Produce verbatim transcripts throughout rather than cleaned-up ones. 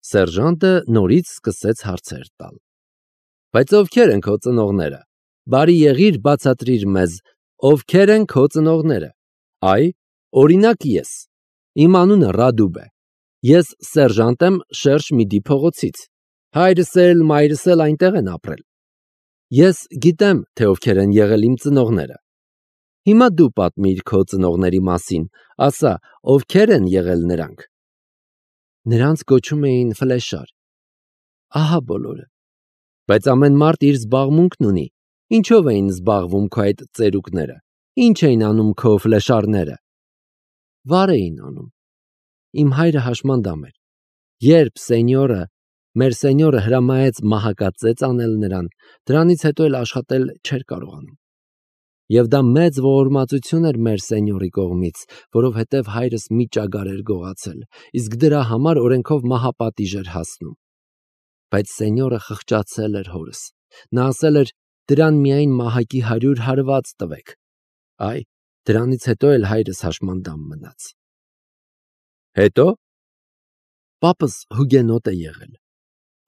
Սերժանտը նորից սկսեց հարցեր տալ։ Բայց ովքեր են քո ծնողները։ Բարի եղիր, բացատրիր մեզ, ովքեր են քո ծնողները։ Այ, օրինակ ես։ Իմ անունը Ռադուբ է։ Ես սերժանտ եմ Շերշմիդի փողոցից։ Հայրս էլ, մայրս էլ այնտեղ են ապրել։ Ես գիտեմ, թե ովքեր են եղել իմ ծնողները։ Հիմա դու պատմիր քո ծնողների մասին, ասա, ովքեր են եղել նրանք։ Նրանց կոչում էին Ֆլեշար։ Ահա բոլորը։ Բայց ամեն մարդ իր զբաղմունքն ունի։ Ինչով էին զբաղվում քո այդ ծերուկները։ Ինչ էին անում քո Ֆլեշարները։ Վար էին անում։ Իմ հայրը հաշմանդամ էր։ Երբ սենյորը, մեր սենյորը հրամայեց մահակածեց անել նրան, դրանից հետո էլ աշխատել չէր կարողանում։ Եվ դա մեծ ողորմածություն էր մեր սենյորի կողմից, որովհետև հայրս մի ճագար էր գողացել, իսկ դրա համար օրենքով մահապատիժ էր հասնում։ Բայց սենյորը խղճացել էր հորս։ Նա ասել էր, դրան միայն մահակի հարյուր հարված տվեք։ Այ, դրանից հետո էլ հայրս հաշմանդամ մնաց։ Հետո։ Պապս հուգենոտ է եղել։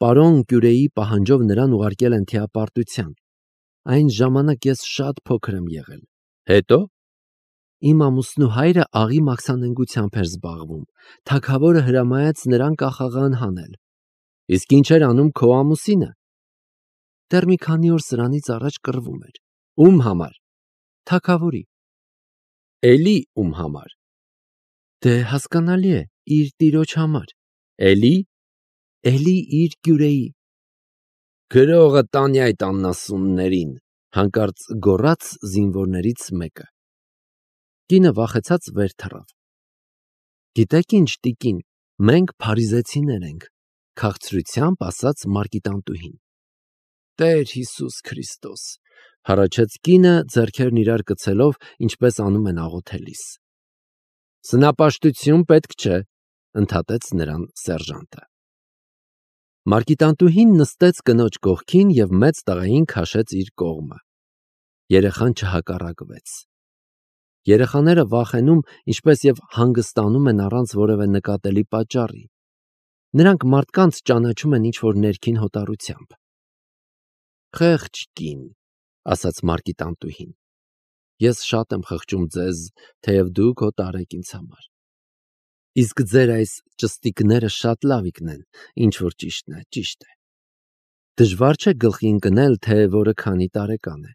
Պարոն Կյուրեի պահանջով նրան ուղարկել են թիապարտության։ Այն ժամանակ ես շատ փոքր եմ եղել։ Հետո։ Իմ ամուսնու հայրը աղի մաքսանենգությամբ էր զբաղվում։ Թագավորը հրամայեց նրան կախաղան հանել։ Իսկ ինչ էր անում քո ամուսինը։ Դեռ մի քանի օր սրանից առաջ կռվում էր։ Ում համար։ Թագավորի։ Էլի ում համար։ Դե հասկանալի է, իր տիրոջ համար։ Էլի։ Էլի իր Կյուրեի։ Գրողը տանի այդ աննասուններին, հանկարծ գոռաց զինվորներից մեկը։ Կինը վախեցած վեր թռավ։ Գիտեք ինչ, տիկին, մենք փարիզեցիներ ենք, քաղցրությամբ ասաց Մարկիտանտուհին։ Տեր Հիսուս Քրիստոս, հառաչեց կինը, ձեռքերն իրար կցելով, ինչպես անում են աղոթելիս։ Սնապաշտություն պետք չէ, ընդհատեց նրան սերժանտը։ Մարկիտանտուհին նստեց կնոջ կողքին և մեծ տղային քաշեց իր կողմը։ Երեխան չհակառակվեց։ Երեխաները վախենում, ինչպես և հանգստանում են առանց որևէ նկատելի պատճառի։ Նրանք մարդկանց ճանաչում են ինչ-որ ներքին հոտառությամբ։ Խեղճ կին, ասաց Մարկիտանտուհին։ Ես շատ եմ խղճում ձեզ, թեև դուք հոտառ եք ինձ համար։ Իսկ ձեր այս ճստիկները շատ լավիկն են, ինչ որ ճիշտն է, ճիշտ է։ Դժվար չէ գլխի ընկնել, թե որը քանի տարեկան է։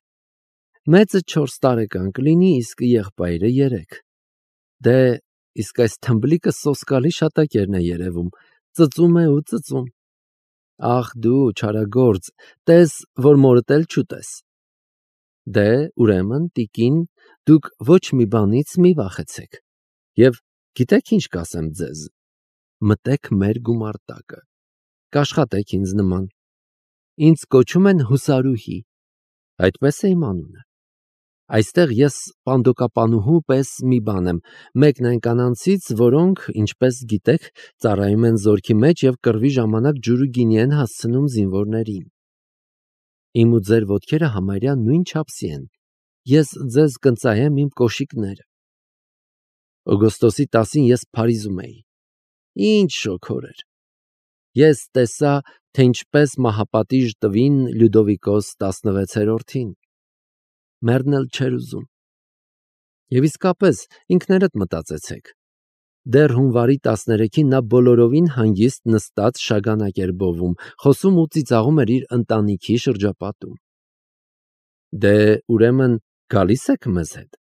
Մեծը չորս տարեկան կլինի, իսկ եղբայրը երեք։ Դե, իսկ այս թմբլիկը սոսկալի շատակերն է երևում, ծծում է ու ծծում։ Ախ դու, չարագործ, տես, որ մորդ էլ չուտես։ Դե, ուրեմն, տիկին, դուք ոչ մի բանից մի վախեցեք։ Եվ գիտեք ինչ կասեմ ձեզ, մտեք մեր գումարտակը, կաշխատեք ինձ նման։ Ինձ կոչում են Հուսարուհի, այդպես է իմ անունը։ Այստեղ ես պանդոկապանուհու պես մի բան եմ, մեկն այն կանանցից, որոնք, ինչպես գիտեք, ծառայում են զորքի մեջ և կռվի ժամանակ ջուր ու գինի են հասցնում զինվորներին։ Իմ ու ձեր ոտքերը համարյա նույն չափսի են։ Ես ձեզ կընծայեմ իմ կոշիկները։ Օգոստոսի տասին ես Փարիզում էի։ Ինչ շոգոր էր։ Ես տեսա, թե ինչպես մահապատիժ տվին Լյուդովիկոս տասնվեցերորդին։ Մեռնել չէր ուզում։ Եվ իսկապես, ինքներդ մտածեցեք։ Դեռ հունվարի տասներեքին նա բոլորովին հանգիստ նստած շագանակ էր բովում, խոսում ու ծիծաղում էր իր ընտանիքի շրջապատում։ Դե, ուրեմն, գալի՞ս եք մեզ հետ։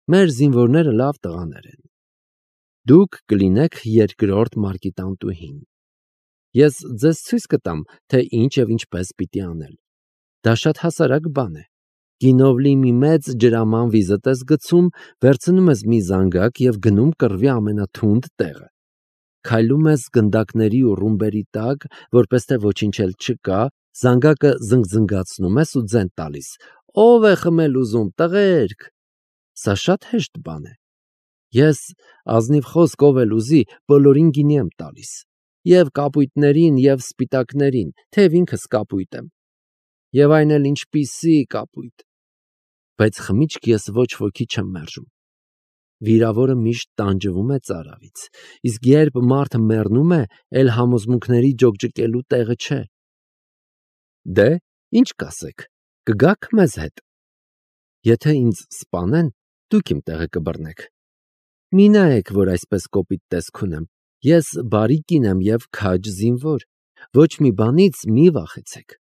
Մեր զինվորները լավ տղաներ են։ Դուք կլինեք երկրորդ Մարկիտանտուհին։ Ես ձեզ ցույց կտամ, թե ինչ և ինչպես պիտի անել։ Դա շատ հասարակ բան է։ Գինով լի մի մեծ ջրաման վիզդ ես գցում, վերցնում ես մի զանգակ և գնում կռվի ամենաթունդ տեղը։ Քայլում ես գնդակների ու ռումբերի տակ, որպես թե ոչինչ էլ չկա, զանգակը զնգզնգացնում ես ու ձեն տալիս։ Ո՞վ է խմել ուզում, տղերք։ Սա շատ հեշտ բան է։ Ես, ազնիվ խոսք ով էլ ուզի, բոլորին գինի եմ տալիս։ Եվ կապույտներին, և սպիտակներին, թեև ինքս կապույտ եմ։ Եվ այն էլ ինչպիսի կապույտ։ Բայց խմիչք ես ոչ ոքի չեմ մերժում։ վիրավորը միշտ տանջվում է ծարավից, իսկ երբ մարդը մեռնում է, էլ համոզմունքների ջոկջկելու տեղը չէ։ Դե, ինչ կասեք, կգաք մեզ հետ։ Եթե ինձ սպանեն, դուք իմ տեղը կբռնեք։ Մի նայեք, որ այսպես կոպիտ տեսք ունեմ, ես բարի կին եմ և քաջ զինվոր, ոչ մի բանից մի վախեցեք։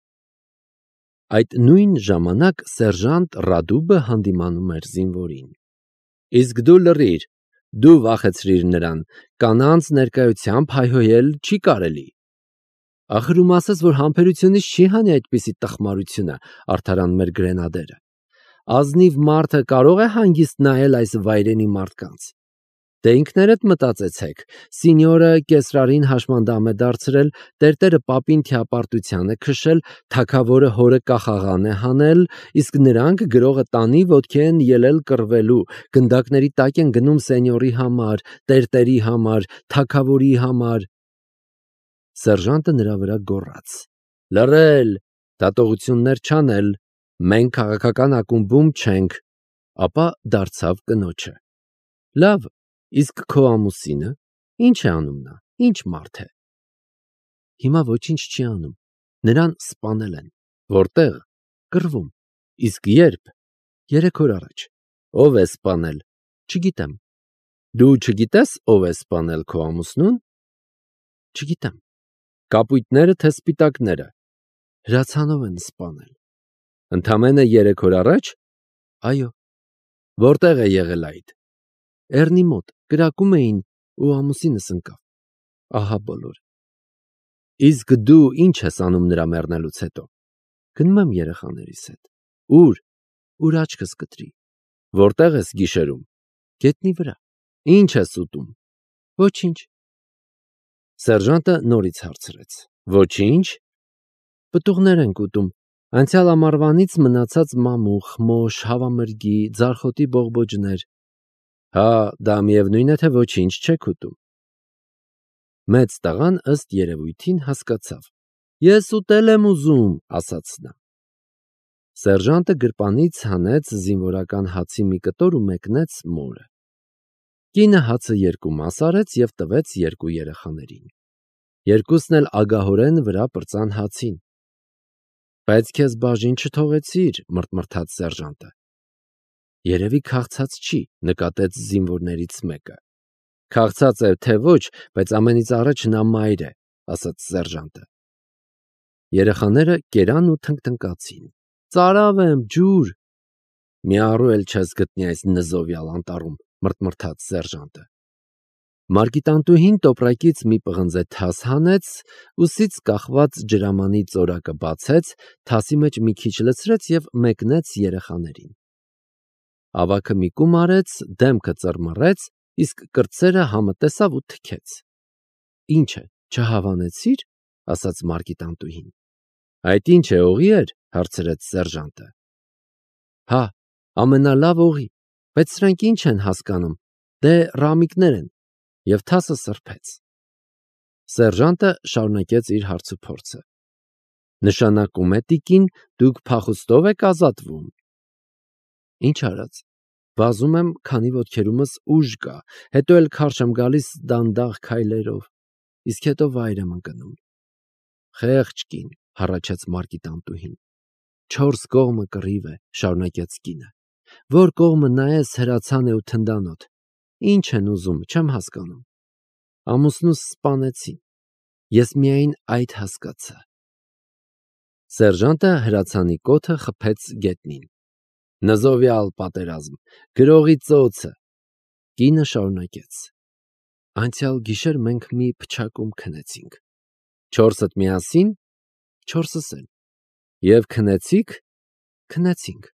Այդ նույն ժամանակ սերժանտ Ռադուբը հանդիմանում էր զինվորին։ Իսկ դու լռիր, դու վախեցրիր նրան, կանանց ներկայությամբ հայհոյել չի կարելի։ Ախր ում ասես, որ համբերությունից չի հանի այդպիսի տխմարությունը, արդարան մեր գրենադերը։ Ազնիվ մարդը կարող է հանգիստ նայել այս վայրենի մարդկանց։ Դե ինքներդ մտածեցեք, սինյորը կեսրարին հաշմանդամ է դարձրել, տերտերը պապին թիապարտության է քշել, թագավորը հորը կախաղան է հանել, իսկ նրանք գրողը տանի ոտքի են ելել կռվելու, գնդակների տակ են գնում սենյորի համար, տերտերի համար, թագավորի համար։ Սերժանտը նրա վրա գոռաց. Լռել, դատողություններ չանել, մենք քաղաքական ակումբում չենք, ապա դարձավ կնոջը. Լավ, իսկ քո ամուսինը, ինչ է անում նա, ինչ մարդ է։ Հիմա ոչինչ չի անում, նրան սպանել են, որտեղ, կռվում, իսկ երբ, երեք օր առաջ, ով է սպանել, չգիտեմ, դու չգիտես, ով է սպանել քո ամուսնուն, չգիտեմ, կապույտները թե սպիտակները, հրացանով են սպանել, ընդամենը երեք օր առաջ, այո, որտեղ է եղել այդ, Էռնի մոտ, կրակում էին ու ամուսինս ընկավ, ահա բոլորը։ Իսկ դու ինչ ես անում նրա մեռնելուց հետո, գնում եմ երեխաներիս հետ, ուր, ուր աչքս կտրի, որտեղ ես գիշերում, գետնի վրա, ինչ ես ուտում, ոչինչ։ Սերժանտը նորից հարցրեց. Ոչինչ։ Պտուղներ ենք ուտում, անցյալ ամառվանից մնացած մամուխ, մոշ, հավամրգի, ձարխոտի բողբոջներ։ Հա, դա միևնույն է, թե ոչինչ չեք ուտում։ Մեծ տղան ըստ երևույթին հասկացավ. Ես ուտել եմ ուզում, ասաց նա։ Սերժանտը գրպանից հանեց զինվորական հացի մի կտոր ու մեկնեց մորը։ Կինը հացը երկու մաս արեց և տվեց երկու երեխաներին։ Երկուսն էլ ագահորեն վրա պրծան հացին։ Բայց քեզ բաժին չթողեցիր, մռթմռթաց սերժանտը։ Երևի քաղցած չի, նկատեց զինվորներից մեկը։ Քաղցած է թե ոչ, բայց ամենից առաջ նա մայր է, ասաց սերժանտը։ Երեխաները կերան ու թնկթնկացին։ Ծարավ եմ, ջուր։ Մի առու էլ չես գտնի այս նզովյալ անտառում, մռթմռթաց սերժանտը։ Մարգիտանտուհին տոպրակից մի պղնձե թաս հանեց, ուսից կախված ջրամանի ծորակը բացեց, թասի մեջ մի քիչ լցրեց և մեկնեց երեխաներին։ Ավագը մի կում արեց, դեմքը ծռմռեց, իսկ կրտսերը համը տեսավ ու թքեց։ Ինչ է, չհավանեցի՞ր, ասաց մարգիտանտուհին։ Այդ ինչ է, օղի էր, հարցրեց սերժանտը։ Հա, ամենալավ օղի, բայց սրանք ինչ են հասկանում, դե ռամիկներ են, և թասը սրբեց։ Սերժանտը շարունակեց իր հարցուփորձը։ Նշանակում է, տիկին, դուք փախուստով եք ազատվում։ Ինչ արած, վազում եմ, քանի ոտքերումս ուժ կա, հետո էլ քարշ եմ գալիս դանդաղ քայլերով, իսկ հետո վայր եմ ընկնում։ Խեղճ կին, հառաչեց մարգիտանտուհին։ Չորս կողմը կռիվ է, շարունակեց կինը։ Որ կողմը նայես հրացան է ու թնդանոթ։ Ինչ են ուզում, չեմ հասկանում։ Ամուսնուս սպանեցին։ Ես միայն այդ հասկացա։ Սերժանտը հրացանի կոթը խփեց գետնին։ Նզովյալ պատերազմ, գրողի ծոցը։ Կինը շարունակեց. Անցյալ գիշեր մենք մի փչակում քնեցինք։ Չորսդ միասին, չորսս էլ։ Եվ քնեցիք, քնեցինք։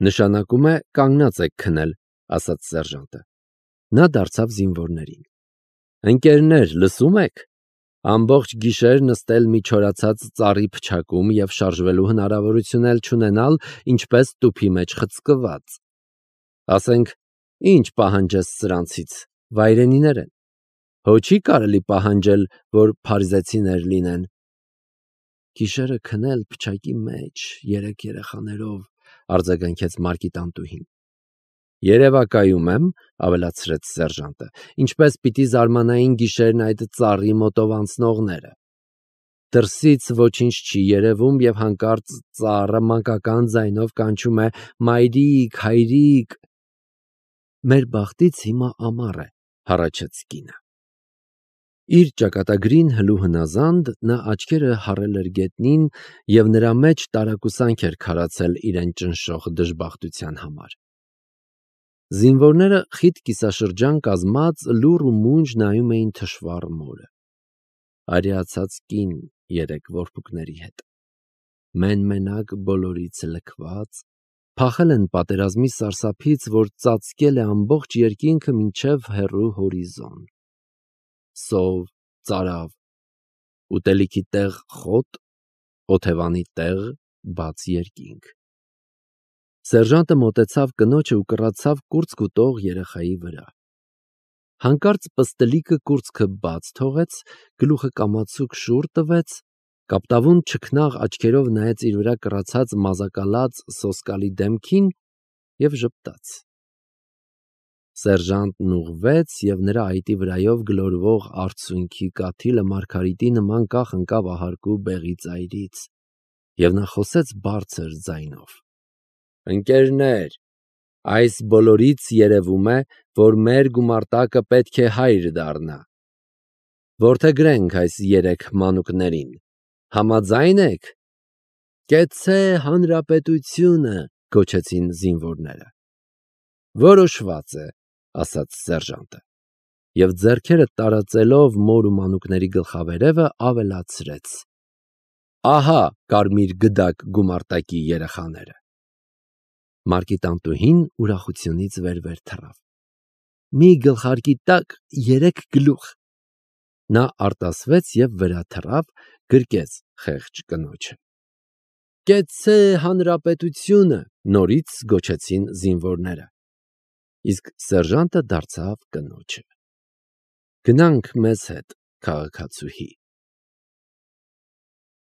Նշանակում է կանգնած եք քնել, ասաց սերժանտը։ Նա դարձավ զինվորներին։ Ընկերներ, լսում եք։ Ամբողջ գիշեր նստել մի չորացած ծառի փչակում և շարժվելու հնարավորություն էլ չունենալ, ինչպես տուփի մեջ խցկված։ Ասենք, ինչ պահանջես սրանցից, վայրենիներ են։ Հո չի կարելի պահանջել, որ փարիզեցիներ լինեն։ Գիշերը քնել փչակի մեջ, երեք երեխաներով, արձագանքեց մարգիտանտուհին։ Երևակայում եմ, ավելացրեց սերժանտը, ինչպես պիտի զարմանային գիշերն այդ ծառի մոտով անցնողները։ Դրսից ոչինչ չի երևում և հանկարծ ծառը մանկական ձայնով կանչում է «Մայրիկ, հայրիկ»։ Մեր բախտից հիմա ամառ է, հառաչեց կինը։ Իր ճակատագրին հլու հնազանդ նա աչքերը հառել էր գետնին և նրա մեջ տարակուսանք էր քարացել իրեն ճնշող դժբախտության համար։ Զինվորները խիտ կիսաշրջան կազմած լուռ ու մունջ նայում էին թշվառ մորը։ Արիացած կին երեք որբուկների հետ։ Մեն-մենակ բոլորից լքված, փախել են պատերազմի սարսափից, որ ծածկել է ամբողջ երկինքը մինչև հեռու հորիզոն։ Սով, ծարավ, ուտելիքի տեղ խոտ, օթևանի տեղ բաց երկինք։ Սերժանտը մոտեցավ կնոջը ու կռացավ կուրծք ուտող երեխայի վրա։ Հանկարծ պստլիկը կուրծքը բաց թողեց, գլուխը կամացուկ շուռ տվեց, կապտավուն չքնաղ աչքերով նայեց իր վրա կռացած մազակալած սոսկալի դեմքին և ժպտաց։ Սերժանտն ուղղվեց և նրա այտի վրայով գլորվող արցունքի կաթիլը մարգարիտի նման կախ ընկավ ահարկու բեղի ծայրից, և նա խոսեց բարձր ձայնով. «Ընկերներ, այս բոլորից երևում է, որ մեր գումարտակը պետք է հայր դառնա։ Որդեգրենք այս երեք մանուկներին։ Համաձայն եք»։ «Կեցցե հանրապետությունը», գոչեցին զինվորները։ «Որոշված է», ասաց սերժանտը, և ձեռքերը տարածելով մոր ու մանուկների գլխավերևը ավելացրեց. «Ահա կարմիր գդակ գումարտակի երեխաները»։ Մարկի տանտուհին ուրախությունից վեր-վեր թռավ։ «Մի գլխարկի տակ երեք գլուխ»։ Նա արտասվեց և վրա թռավ, գրկեց խեղճ կնոջը։ «Կեցցե հանրապետությունը», նորից գոչեցին զինվորները։ Իսկ սերժանտը դարձավ կնոջը. «Գնանք մեզ հետ, քաղաքացուհի»։